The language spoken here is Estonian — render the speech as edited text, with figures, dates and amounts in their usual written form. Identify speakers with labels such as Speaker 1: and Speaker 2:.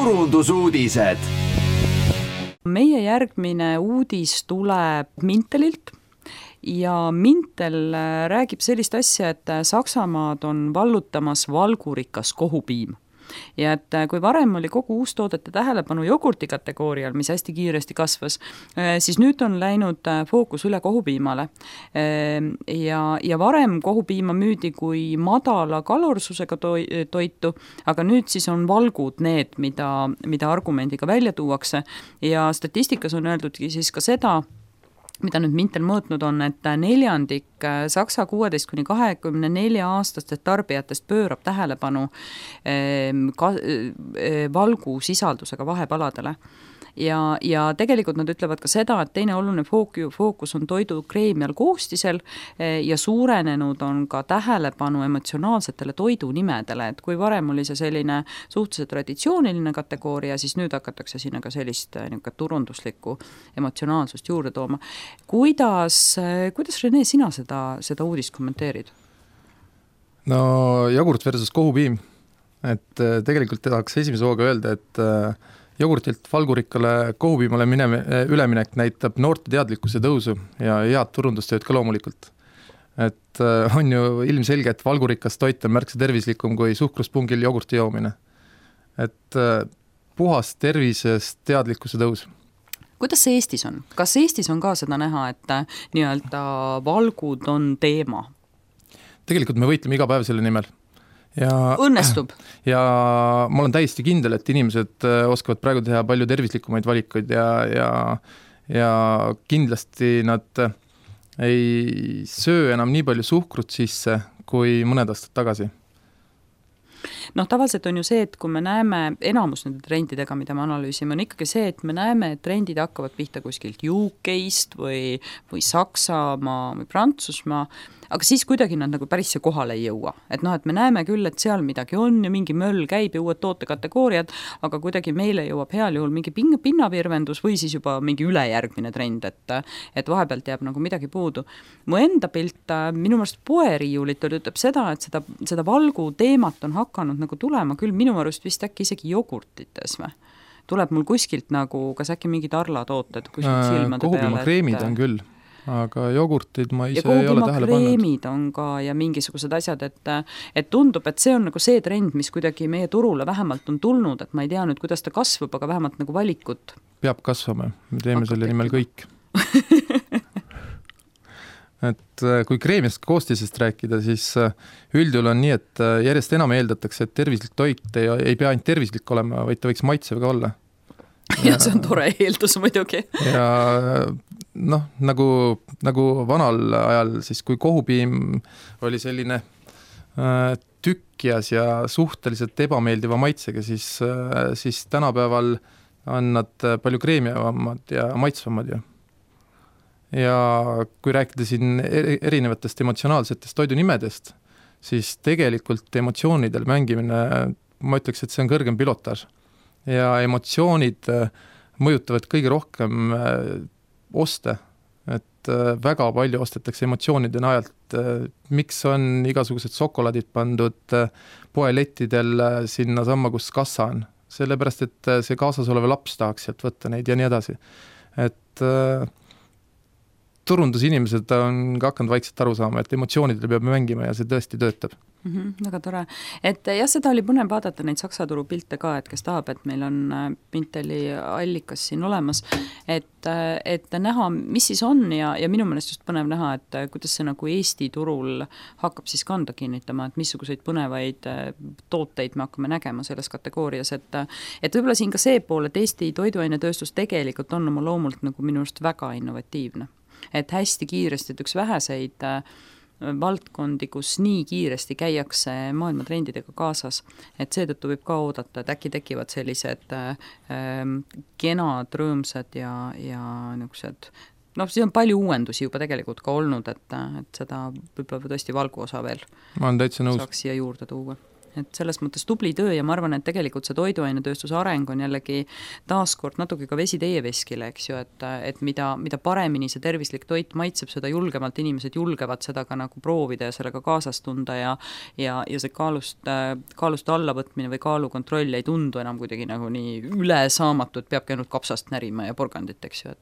Speaker 1: turundusuudised.
Speaker 2: Meie järgmine uudis tuleb Mintelilt ja Mintel räägib sellist asja, et Saksamaad on vallutamas valgurikas kohupiim. Ja et kui varem oli kogu uustoodete tähelepanu jogurti kategoorial, mis hästi kiiresti kasvas, siis nüüd on läinud fookus üle kohupiimale. Ja varem kohupiima müüdi kui madala kalorsusega toitu, aga nüüd siis on valgud need, mida argumendiga välja tuuakse. Ja statistikas on öeldudki siis ka seda, mida nüüd Mintel mõõtnud on, et 4% Saksa 16–24 aastastest tarbijatest pöörab tähelepanu valgu sisaldusega vahepaladele. Ja tegelikult nad ütlevad ka seda, et teine oluline fookus on toidu kreemial koostisel ja suurenenud on ka tähelepanu emotsionaalsetele toidunimedele, et kui varem oli see selline suhteliselt traditsiooniline kategooria, siis nüüd hakatakse sinna ka sellist turunduslikku emotsionaalsust juurde tooma. Kuidas Rene, sina seda uudist kommenteerid?
Speaker 3: No jogurt versus kohupiim, et tegelikult tahaks esimese hooga öelda, et jogurtilt valgurikkale kohupiimale üleminek näitab noorte teadlikkuse tõusu ja head turundustööd ka loomulikult. Et on ju ilmselge, et valgurikas toit on märksa tervislikum kui suhkruspungil jogurti joomine. Et puhas tervisest teadlikkuse tõus.
Speaker 2: Kuidas see Eestis on? Kas Eestis on ka seda näha, et nii-öelda valgud on teema?
Speaker 3: Tegelikult me võitleme iga päev selle nimel. Ja,
Speaker 2: õnnestub.
Speaker 3: Ja ma olen täiesti kindel, et inimesed oskavad praegu teha palju tervislikumaid valikuid ja kindlasti nad ei söö enam nii palju suhkrut sisse kui mõned aastad tagasi.
Speaker 2: Tavaliselt on ju see, et kui me näeme enamus nende trendidega, mida me analüüsime, on ikkagi see, et me näeme, et trendid hakkavad pihta kuskilt UK-st või Saksamaa või Prantsusmaa, aga siis kuidagi nad nagu päris kohale ei jõua. Et me näeme küll, et seal midagi on ja mingi möll käib ja uued tootekategooriad, aga kuidagi meile jõuab heal juhul mingi pinnavirvendus või siis juba mingi ülejärgmine trend, et vahepealt jääb nagu midagi puudu. Mu enda pilt minu meelest poeriiulitel ütleb seda, et seda valgu teemat on hakanud nagu tulema küll minu arust vist äkki isegi jogurtites või? Tuleb mul kuskilt nagu, kas äkki mingid arlatooted kuskilt silmade peale?
Speaker 3: Kohupiima kreemid on küll, aga jogurtid ma ise ei ole tähele pannud. Ja kohupiima
Speaker 2: kreemid on ka ja mingisugused asjad, et tundub, et see on nagu see trend, mis kuidagi meie turule vähemalt on tulnud, et ma ei tea nüüd, kuidas ta kasvab, aga vähemalt nagu valikut.
Speaker 3: Peab kasvama, me teeme selle nimel kõik. Et kui kreemist koostisest rääkida, siis üldjuhul on nii, et järjest enam eeldatakse, et tervislik toit ei pea ainult tervislik olema, vaid ta võiks maitsev ka olla.
Speaker 2: Ja see on tore eeldus muidugi.
Speaker 3: Ja nagu vanal ajal, siis kui kohupiim oli selline tükkjas ja suhteliselt ebameeldiva maitsega, siis tänapäeval on nad palju kreemiavamad ja maitsvamad ju. Ja kui rääkida siin erinevatest emotsionaalsetest toidunimedest, siis tegelikult emotsioonidel mängimine, ma ütleks, et see on kõrgem pilotaaž. Ja emotsioonid mõjutavad kõige rohkem oste, et väga palju ostetakse emotsioonide najalt. Miks on igasugused šokolaadid pandud poelettidel sinna samma, kus kassa on? Sellepärast, et see kaasas oleva laps tahaks sealt võtta neid ja nii edasi. Et turundusinimesed on ka hakanud vaikselt aru saama, et emotsioonidele peab mängima ja see tõesti töötab.
Speaker 2: Väga tore. Et jah, seda oli põnev vaadata neid Saksa turu pilte ka, et kes tahab, et meil on Minteli allikas siin olemas, et näha, mis siis on ja minu meelest just põnev näha, et kuidas see nagu Eesti turul hakkab siis kanda kinnitama, et missuguseid põnevaid tooteid me hakkame nägema selles kategoorias, et võib-olla siin ka see pool, et Eesti toiduainetööstus tegelikult on oma loomult nagu minu arust väga innovatiivne. Et hästi kiiresti, et üks väheseid valdkondi, kus nii kiiresti käiakse maailma trendidega kaasas, et seetõttu võib ka oodata, et äkki tekivad sellised kenad, rõõmsad ja niisugused, siis on palju uuendusi juba tegelikult ka olnud, et seda võib-olla tõesti valgu osa veel
Speaker 3: ma olen täitsa nõus.
Speaker 2: Saaks siia juurde tuua. et selles mõttes tubli töö ja ma arvan, et tegelikult see toiduainetööstuse areng on jällegi taaskord natuke ka vesi teie veskile, eks ju, et mida paremini see tervislik toit maitseb, seda julgemalt inimesed julgevad seda ka nagu proovida ja sellega kaasas tunda ja see kaalust allavõtmine või kaalukontroll ei tundu enam kuidagi nagu nii ülesaamatu, et peabki ainult kapsast närima ja porgandit, eks ju,